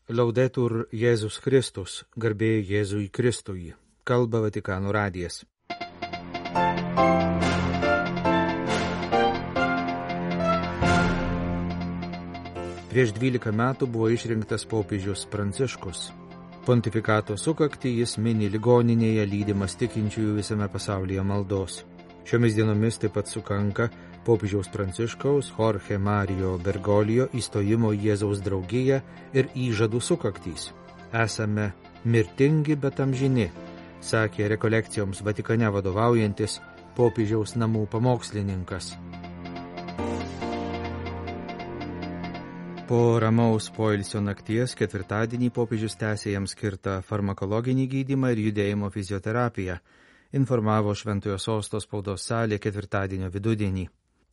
Laudetur Jėzus Kristus, garbė Jėzui Kristui, kalba Vatikano radijas. Prieš 12 metų buvo išrinktas popiežius Pranciškus. Pontifikato sukaktį jis mini ligoninėje lydimas tikinčiųjų visame pasaulyje maldos. Šiomis dienomis taip pat sukanka popiežiaus Pranciškaus Jorge Mario Bergoglio įstojimo į Jėzaus draugiją ir įžadų sukaktys. Esame mirtingi, bet amžini, sakė rekolekcijoms Vatikane vadovaujantis popiežiaus namų pamokslininkas. Po ramaus poilsio nakties ketvirtadienį popiežius tęsė jam skirtą farmakologinį gydymą ir judėjimo fizioterapiją, informavo Šventojo Sosto spaudos salė ketvirtadienio vidudienį.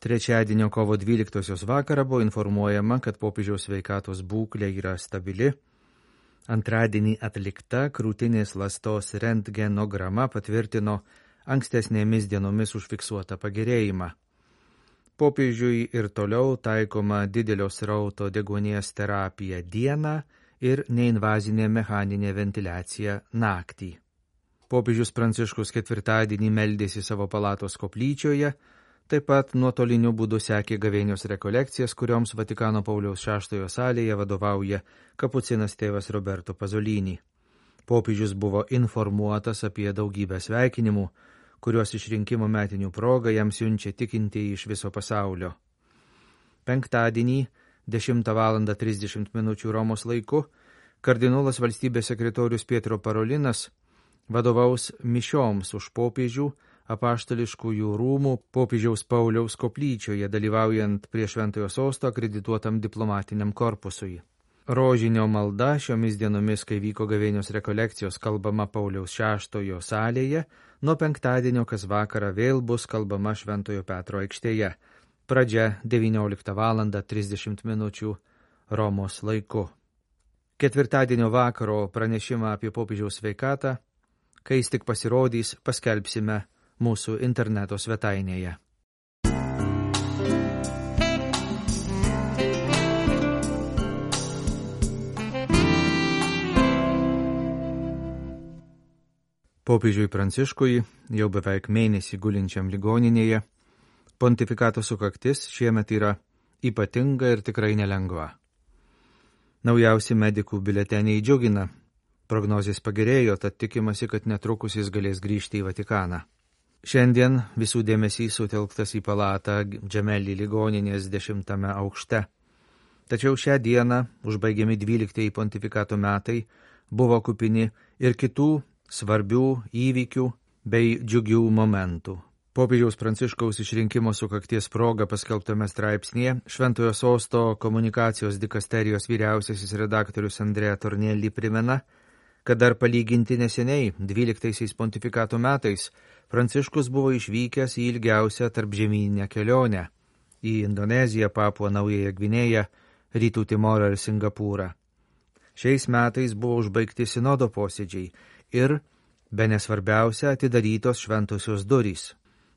Trečiadienio kovo 12 vakarą buvo informuojama, kad popiežiaus sveikatos būklė yra stabili. Antradienį atlikta krūtinės ląstos rentgenograma patvirtino ankstesnėmis dienomis užfiksuotą pagerėjimą. Popiežiui ir toliau taikoma didelio srauto deguonies terapija dieną ir neinvazinė mechaninė ventiliacija naktį. Popiežius Pranciškus ketvirtadienį meldėsi savo palatos koplyčioje, taip pat nuotoliniu būdu sekė gavėnios rekolekcijas, kurioms Vatikano Pauliaus VI salėje vadovauja kapucinas tėvas Roberto Pasolini. Popiežius buvo informuotas apie daugybę sveikinimų, kuriuos išrinkimo metinių proga jam siunčia tikintieji iš viso pasaulio. Penktadienį 10:30 Romos laiku kardinolas valstybės sekretorius Pietro Parolinas vadovaus mišioms už popiežių apaštališkųjų rūmų popiežiaus Pauliaus koplyčioje, dalyvaujant prie Šventojo Sosto akredituotam diplomatiniam korpusui. Rožinio malda šiomis dienomis, kai vyko gavėnios rekolekcijos, kalbama Pauliaus VI salėje, nuo penktadienio kas vakarą vėl bus kalbama Šventojo Petro aikštėje. Pradžia 19:30 Romos laiku. Ketvirtadienio vakaro pranešimą apie popiežiaus sveikatą, kai jis tik pasirodys, paskelbsime mūsų interneto svetainėje. Popiežiui Pranciškui, jau beveik mėnesį gulinčiam ligoninėje, pontifikato sukaktis šiemet yra ypatinga ir tikrai nelengva. Naujausi medikų biuleteniai džiugina. Prognozės pagerėjo, tad tikimasi, kad netrukus jis galės grįžti į Vatikaną. Šiandien visų dėmesys sutelktas į palatą Džemeli ligoninės 10 aukšte. Tačiau šią dieną, užbaigiami 12 pontifikato metai, buvo kupini ir kitų svarbių įvykių bei džiugių momentų. Popiežiaus Pranciškaus išrinkimo sukakties proga paskelbtame straipsnėje Šventojo Sosto komunikacijos dikasterijos vyriausiasis redaktorius Andrea Tornelli primena, kad dar palyginti neseniai, 12 pontifikato metais, Pranciškus buvo išvykęs į ilgiausią tarpžemyninę kelionę į Indoneziją, Papuą Naująją Gvinėją, Rytų Timorą ir Singapūrą. Šiais metais buvo užbaigti sinodo posėdžiai ir, bene svarbiausia, atidarytos šventosios durys.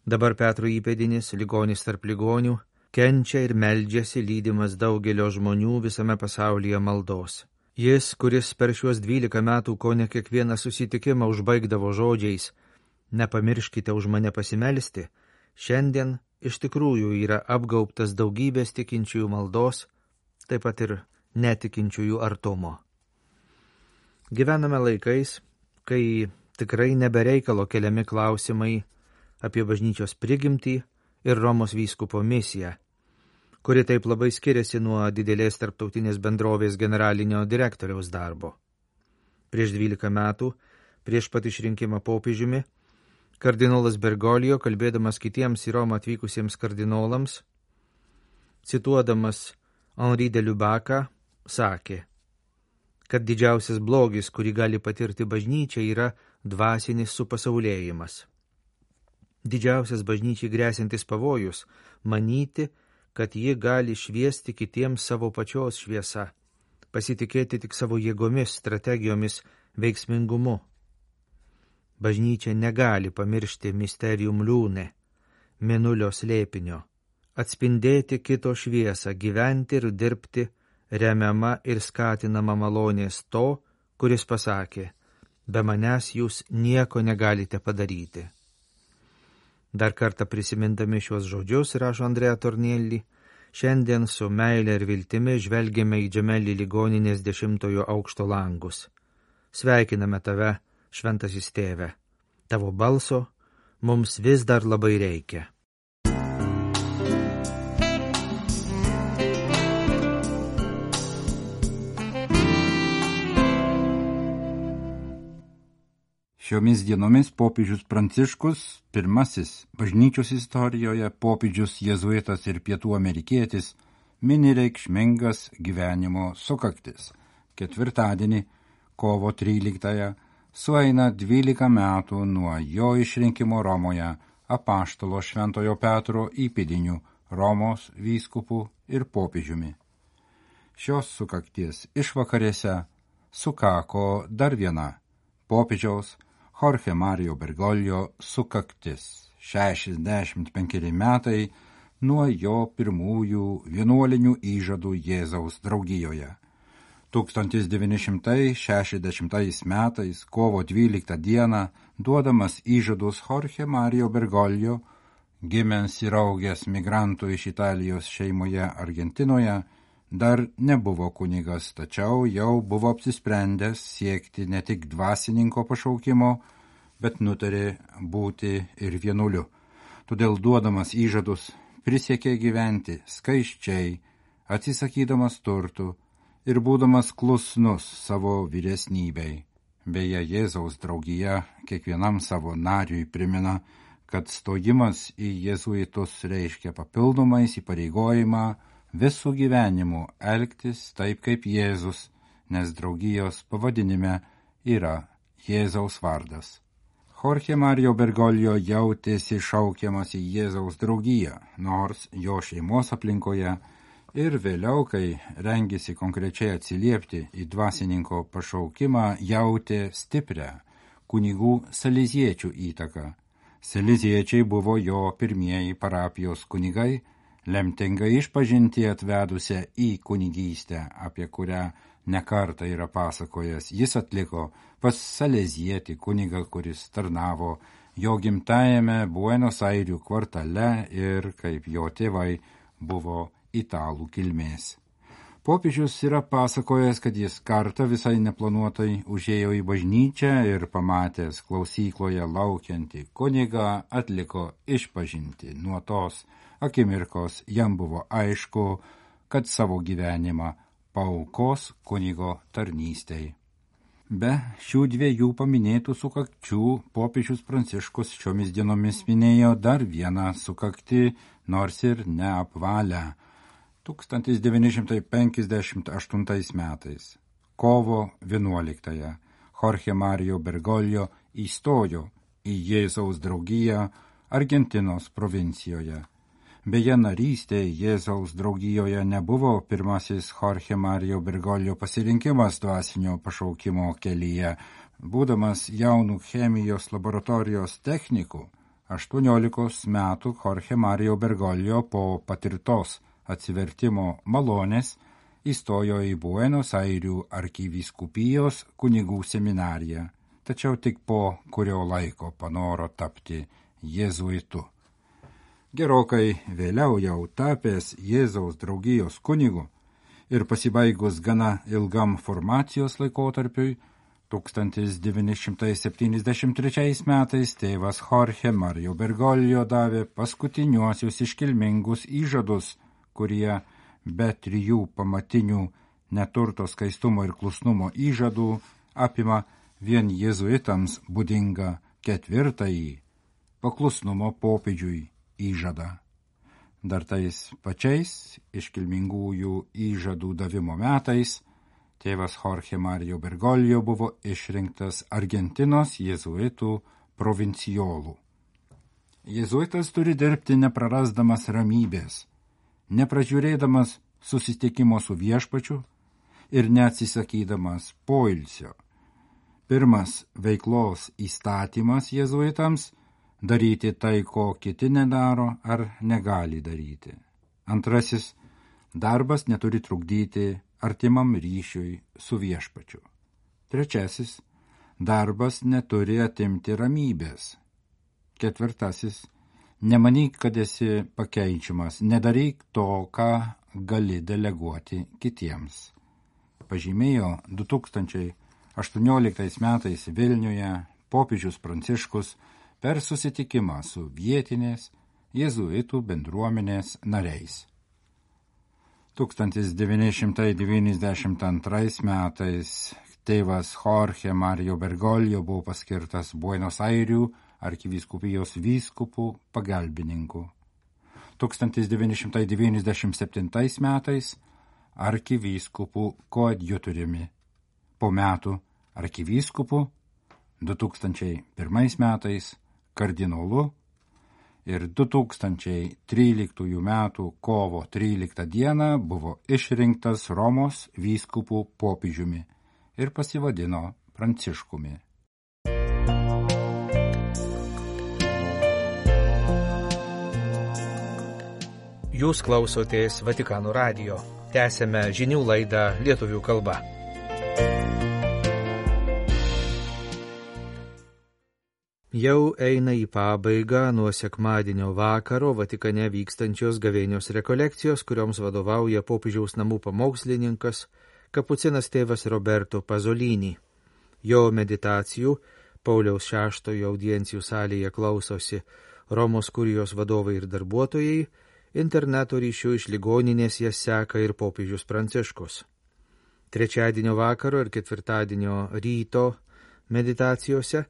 Dabar Petro įpėdinis, ligonis tarp ligonių, kenčia ir meldžiasi lydimas daugelio žmonių visame pasaulyje maldos. Jis, kuris per šiuos 12 metų kone kiekvieną susitikimą užbaigdavo žodžiais "Nepamirškite už mane pasimelsti", šiandien iš tikrųjų yra apgaubtas daugybės tikinčiųjų maldos, taip pat ir netikinčiųjų artumo. Gyvename laikais, kai tikrai nebereikalo keliami klausimai apie bažnyčios prigimtį ir Romos vyskupo misiją, kuri taip labai skiriasi nuo didelės tarptautinės bendrovės generalinio direktoriaus darbo. Prieš 12 metų, prieš pat išrinkimą popiežiumi, kardinolas Bergoglio, kalbėdamas kitiems į Romą atvykusiems kardinolams, cituodamas Henri de Lubaką, sakė, kad didžiausias blogis, kurį gali patirti bažnyčia, yra dvasinis supasaulėjimas. Didžiausias bažnyčiai grėsintis pavojus – manyti, kad ji gali šviesti kitiems savo pačios šviesa, pasitikėti tik savo jėgomis, strategijomis, veiksmingumu. Bažnyčia negali pamiršti misterium liūne, mėnulio slėpinio, atspindėti kito šviesą, gyventi ir dirbti remiama ir skatinama malonės to, kuris pasakė, be manęs jūs nieko negalite padaryti. Dar kartą prisimindami šios žodžius, rašo Andrea Tornielli, šiandien su meile ir viltimi žvelgiame į Džemelį ligoninės 10 aukšto langus. Sveikiname tave, šventasis tėve. Tavo balso mums vis dar labai reikia. Šiomis dienomis popiežius Pranciškus, pirmasis bažnyčios istorijoje popiežius jėzuitas ir pietų amerikietis, mini reikšmingas gyvenimo sukaktis. Ketvirtadienį, kovo 13-ąją, sueina 12 metų nuo jo išrinkimo Romoje apaštalo Šventojo Petro įpėdiniu Romos vyskupu ir popiežiumi. Šios sukakties išvakarėse sukako dar viena popiežiaus Jorge Mario Bergoglio sukaktis, 65 metai nuo jo pirmųjų vienuolinių įžadų Jėzaus draugijoje. 1960 metais, kovo 12 dieną, duodamas įžadus Jorge Mario Bergoglio, gimęs ir augęs migrantų iš Italijos šeimoje Argentinoje, dar nebuvo kunigas, tačiau jau buvo apsisprendęs siekti ne tik dvasininko pašaukimo, bet nutarė būti ir vienuoliu. Todėl duodamas įžadus prisiekė gyventi skaisčiai, atsisakydamas turtų ir būdamas klusnus savo vyresnybei. Beje, Jėzaus draugija kiekvienam savo nariui primena, kad stojimas į jėzuitus reiškia papildomą įsipareigojimą visų gyvenimų elgtis taip kaip Jėzus, nes draugijos pavadinime yra Jėzaus vardas. Jorge Mario Bergoglio jautėsi šaukiamas į Jėzaus draugiją, nors jo šeimos aplinkoje ir vėliau, kai rengėsi konkrečiai atsiliepti į dvasininko pašaukimą, jautė stiprią kunigų saleziečių įtaką. Saleziečiai buvo jo pirmieji parapijos kunigai, lemtingai išpažinti atvedusią į kunigystę, apie kurią nekartą yra pasakojęs. Jis atliko pas salezietį kunigą, kuris tarnavo jo gimtajame Buenos Airių kvartale ir, kaip jo tėvai, buvo italų kilmės. Popiežius yra pasakojęs, kad jis kartą visai neplanuotai užėjo į bažnyčią ir pamatęs klausykloje laukiantį kunigą atliko išpažinti. Nuo tos akimirkos jam buvo aišku, kad savo gyvenimą paaukos kunigo tarnystei. Be šių dviejų paminėtų sukakčių popiežius Pranciškus šiomis dienomis minėjo dar vieną sukaktį, nors ir neapvalę. 1958 metais, kovo 11-ąją, Jorge Mario Bergoglio įstojo į Jėzaus draugiją Argentinos provincijoje. Beje, narystė Jėzaus draugijoje nebuvo pirmasis Jorge Mario Bergoglio pasirinkimas dvasinio pašaukimo kelyje. Būdamas jaunų chemijos laboratorijos technikų, 18 metų Jorge Mario Bergoglio po patirtos atsivertimo malonės įstojo į Buenos Airių arkivyskupijos kunigų seminariją, tačiau tik po kurio laiko panoro tapti jėzuitu. Gerokai vėliau jau tapęs Jėzaus draugijos kunigu ir pasibaigus gana ilgam formacijos laikotarpiui, 1973 metais tėvas Jorge Mario Bergoglio davė paskutiniuosius iškilmingus įžadus, kurie be 3 pamatinių neturto, skaistumo ir klusnumo įžadų apima vien jėzuitams būdingą 4. paklusnumo popiežiui įžadą. Dar tais pačiais iškilmingųjų įžadų davimo metais tėvas Jorge Mario Bergoglio buvo išrinktas Argentinos jėzuitų provincijolų. Jėzuitas turi dirbti neprarasdamas ramybės, nepražiūrėdamas susitikimo su viešpačiu ir neatsisakydamas poilsio. Pirmas veiklos įstatymas jėzuitams – daryti tai, ko kiti nedaro ar negali daryti. Antrasis – darbas neturi trukdyti artimam ryšiui su viešpačiu. Trečiasis, darbas neturi atimti ramybės. Ketvirtasis, nemanyk, kad esi pakeičiamas, nedaryk to, ką gali deleguoti kitiems. Pažymėjo 2018 metais Vilniuje popiežius Pranciškus per susitikimą su vietinės jėzuitų bendruomenės nariais. 1992 metais tėvas Jorge Mario Bergoglio buvo paskirtas Buenos Airių arkivyskupijos vyskupų pagalbininku. 1997 metais arkivyskupų koadjutoriumi, po metų arkivyskupu, 2001 metais kardinolu ir 2013 metų kovo 13 dieną buvo išrinktas Romos vyskupų popiežiumi ir pasivadino Pranciškumi. Jūs klausotės Vatikano radijo. Tęsėme žinių laidą lietuvių kalba. Jau eina į pabaigą nuo sekmadienio vakaro Vatikane vykstančios gavėnios rekolekcijos, kurioms vadovauja popiežiaus namų pamokslininkas, kapucinas tėvas Roberto Pasolini. Jo meditacijų Pauliaus VI audiencijų salėje klausosi Romos kurijos vadovai ir darbuotojai, interneto ryšių iš ligoninės jas seka ir popiežius Pranciškus. Trečiadienio vakaro ir ketvirtadienio ryto meditacijose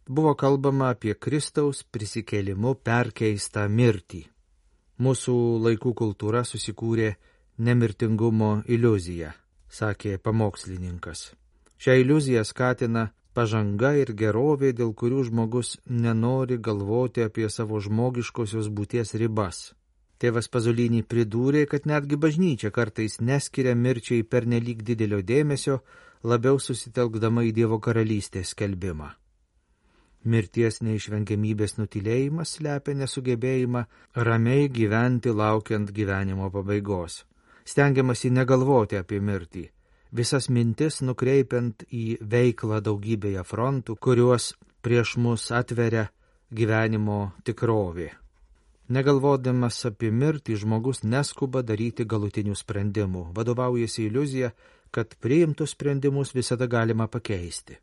buvo kalbama apie Kristaus prisikėlimu perkeistą mirtį. Mūsų laikų kultūra susikūrė nemirtingumo iliuziją, sakė pamokslininkas. Šią iliuziją skatina pažanga ir gerovė, dėl kurių žmogus nenori galvoti apie savo žmogiškosios būties ribas. Tėvas Pasolini pridūrė, kad netgi bažnyčia kartais neskiria mirčiai pernelyg didelio dėmesio, labiau susitelkdama į Dievo karalystės skelbimą. Mirties neišvengiamybės nutylėjimas slepia nesugebėjimą ramiai gyventi laukiant gyvenimo pabaigos. Stengiamasi negalvoti apie mirtį, visas mintis nukreipiant į veiklą daugybėje frontų, kuriuos prieš mus atveria gyvenimo tikrovė. Negalvodamas apie mirtį, žmogus neskuba daryti galutinių sprendimų, vadovaujasi iliuzija, kad priimtus sprendimus visada galima pakeisti.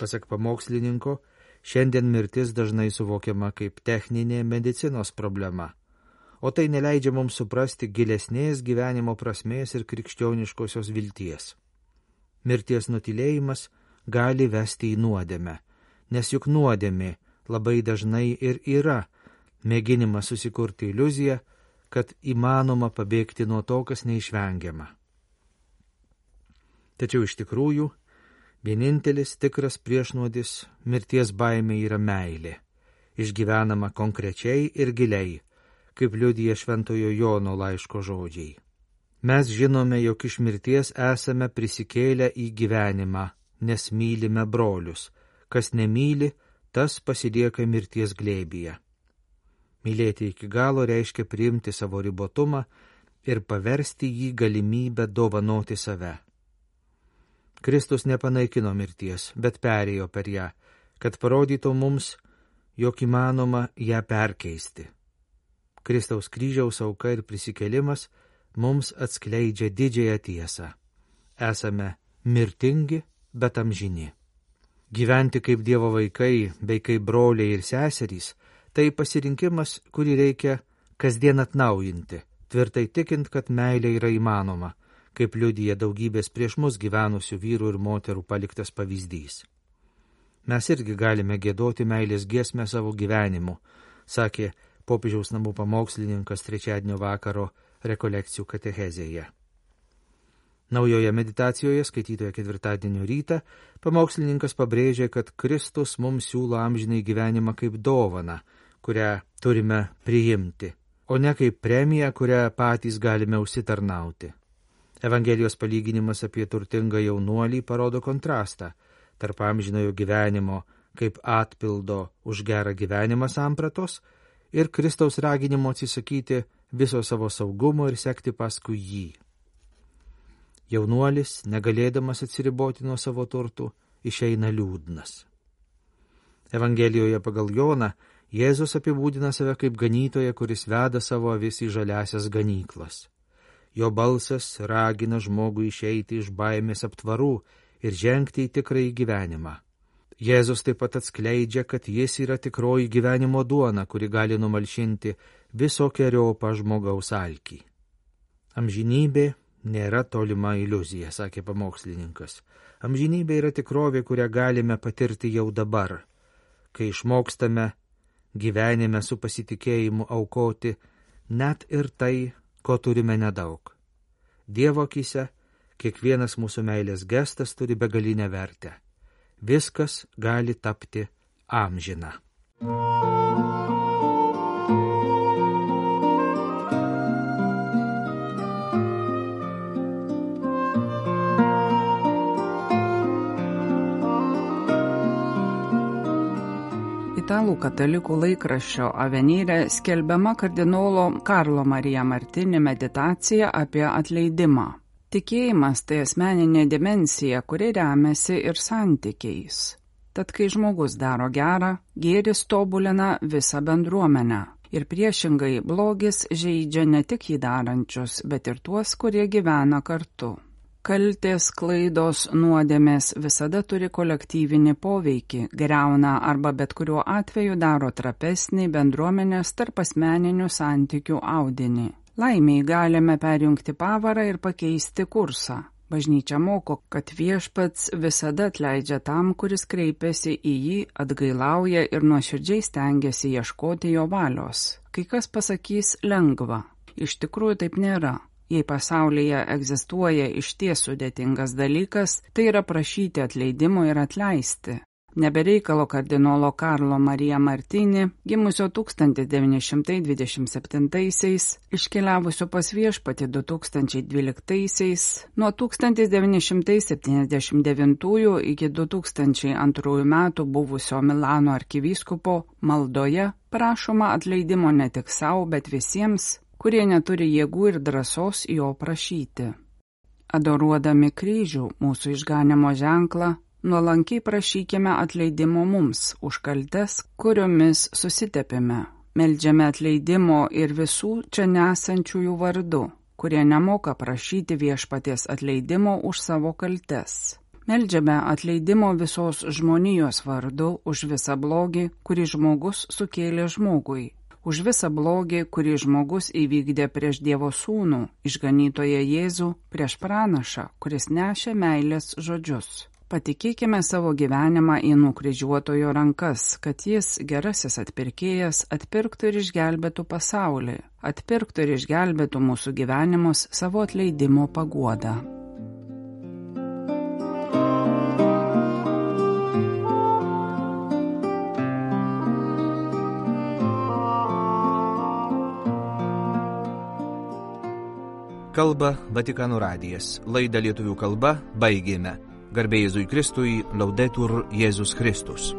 Pasak pamokslininko, šiandien mirtis dažnai suvokiama kaip techninė medicinos problema, o tai neleidžia mums suprasti gilesnės gyvenimo prasmės ir krikščioniškosios vilties. Mirties nutylėjimas gali vesti į nuodėmę, nes juk nuodėmė labai dažnai ir yra mėginimas susikurti iliuziją, kad įmanoma pabėgti nuo to, kas neišvengiama. Tačiau iš tikrųjų, vienintelis tikras priešnuodis mirties baimė yra meilė, išgyvenama konkrečiai ir giliai, kaip liudija Šventojo Jono laiško žodžiai. Mes žinome, jog iš mirties esame prisikėlę į gyvenimą, nes mylime brolius. Kas nemyli, tas pasilieka mirties glėbyje. Mylėti iki galo reiškia priimti savo ribotumą ir paversti jį galimybę dovanoti save. Kristus nepanaikino mirties, bet perėjo per ją, kad parodytų mums, jog įmanoma ją perkeisti. Kristaus kryžiaus auka ir prisikėlimas mums atskleidžia didžiąją tiesą. Esame mirtingi, bet amžini. Gyventi kaip Dievo vaikai, bei kaip broliai ir seserys, tai pasirinkimas, kurį reikia kasdien atnaujinti, tvirtai tikint, kad meilė yra įmanoma, kaip liudija daugybės prieš mus gyvenusių vyrų ir moterų paliktas pavyzdys. Mes irgi galime giedoti meilės giesmę savo gyvenimu, sakė popiežiaus namų pamokslininkas trečiadienio vakaro rekolekcijų katechezėje. Naujoje meditacijoje, skaitytoje ketvirtadienio rytą, pamokslininkas pabrėžė, kad Kristus mums siūlo amžinai gyvenimą kaip dovaną, kurią turime priimti, o ne kaip premiją, kurią patys galime užsitarnauti. Evangelijos palyginimas apie turtingą jaunuolį parodo kontrastą tarp amžinojo gyvenimo kaip atpildo už gerą gyvenimą sampratos ir Kristaus raginimo atsisakyti viso savo saugumo ir sekti paskui jį. Jaunuolis, negalėdamas atsiriboti nuo savo turtų, išeina liūdnas. Evangelijoje pagal Joną Jėzus apibūdina save kaip ganytoją, kuris veda savo avis į žaliasias ganyklas. Jo balsas ragina žmogų išeiti iš baimės aptvarų ir žengti į tikrąjį gyvenimą. Jėzus taip pat atskleidžia, kad jis yra tikroji gyvenimo duona, kuri gali numalšinti visokeriopą žmogaus alkį. Amžinybė nėra tolima iliuzija, sakė pamokslininkas. Amžinybė yra tikrovė, kurią galime patirti jau dabar, kai išmokstame gyvenime su pasitikėjimu aukoti net ir tai, ko turime nedaug. Dievo akyse kiekvienas mūsų meilės gestas turi begalinę vertę. Viskas gali tapti amžina. Italų katalikų laikraščio Avenire skelbiama kardinolo Karlo Marija Martini meditacija apie atleidimą. Tikėjimas tai asmeninė dimensija, kuri remiasi ir santykiais. Tad kai žmogus daro gerą, gėris tobulina visą bendruomenę. Ir priešingai blogis žeidžia ne tik jį darančius, bet ir tuos, kurie gyvena kartu. Kaltės, klaidos, nuodėmės visada turi kolektyvinį poveikį, griauna arba bet kuriuo atveju daro trapesnį bendruomenės tarp asmeninių santykių audinį. Laimiai galime perjungti pavarą ir pakeisti kursą. Bažnyčia moko, kad Viešpats visada atleidžia tam, kuris kreipiasi į jį, atgailauja ir nuoširdžiai stengiasi ieškoti jo valios. Kai kas pasakys lengva. Iš tikrųjų taip nėra. Jei pasaulyje egzistuoja išties sudėtingas dalykas, tai yra prašyti atleidimo ir atleisti. Nebereikalo kardinolo Karlo Marija Martini, gimusio 1927-aisiais, iškeliavusio pas Viešpatį 2012-aisiais, nuo 1979 iki 2002 metų buvusio Milano arkivyskupo maldoje prašoma atleidimo ne tik savo, bet visiems, kurie neturi jėgų ir drąsos jo prašyti. Adoruodami kryžių, mūsų išganimo ženklą, nuolankiai prašykime atleidimo mums už kaltes, kuriomis susitepėme. Meldžiame atleidimo ir visų čia nesančiųjų vardu, kurie nemoka prašyti Viešpaties atleidimo už savo kaltes. Meldžiame atleidimo visos žmonijos vardu už visą blogį, kurį žmogus sukėlė žmogui. Už visą blogį, kurį žmogus įvykdė prieš Dievo sūnų, išganytoją Jėzų, prieš pranašą, kuris nešė meilės žodžius. Patikėkime savo gyvenimą į nukryžiuotojo rankas, kad jis, gerasis atpirkėjas, atpirktų ir išgelbėtų pasaulį, atpirktų ir išgelbėtų mūsų gyvenimus savo atleidimo paguoda. Kalba Vatikano radijas. Laidą lietuvių kalba baigėme. Garbė Jėzui Kristui, Laudetur Jėzus Kristus.